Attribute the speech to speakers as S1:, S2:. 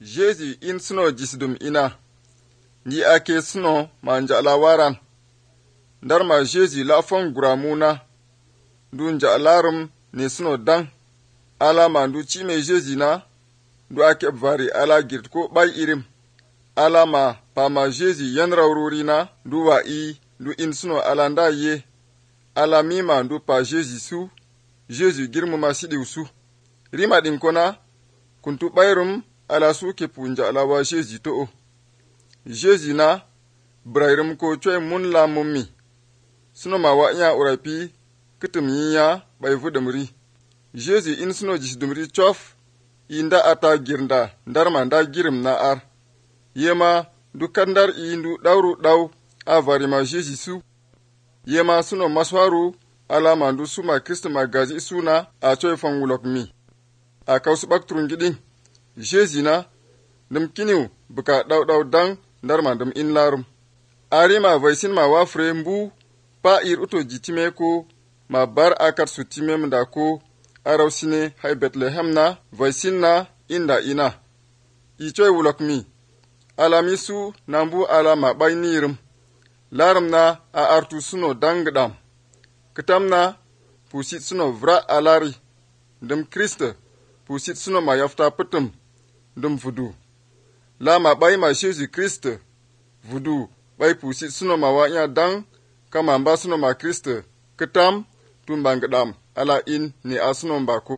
S1: Jésus in sino jisdum ina, nji ake sino ma nja'la waran. Ndar ma Jésus la fon guramuna, du nja'larum ne sino dang. Ala ma ndu chime Jésus na, du ake vari ala girt ko bay irim. Ala ma pa ma Jésus yan rawruri na, du wa du in sino ala nda ye. Ala mi ma ndu pa Jésus su, Jésus girmu ma sidiw su. Rima din kona, kuntu bayrum ala su ke punja ala wa Jésus to o. Jésus na, brairum ko choy mun la mummi. Sino ma wa nya urapi, kitum yinya bay vudumri. Jésus in sino jisdumri chof, inda ata girnda, ndarma nda girim na ar. Yema du kandar ndu dawru daw a varima Jésus su. Yema sino maswaru ala mandu suma Kristo magazi suna a choy fangulok mi. A kausu bakturun gidin. Jésus na, dum kiniw buka daw dang ndarma dum in larum. Arima vaisin ma wafre mbu pa ir uto jitime ko ma bar akar sutime mda ko arawsine hay Bethlehem na vaisin na inda ina. Ichoy wulok mi. Alamisu nambu ala ma bay nirum. Larum na a artu suno dangdam. Kitam na pusit suno vra alari. Dum Krista pusit suno ma yafta putum. Dum vudu. La ma bay ma Jésus Krista. Vudu bay pusit suno ma wanya dang kama mba suno ma Krista. Kitam tumbangdam ala in ni asuno mbako.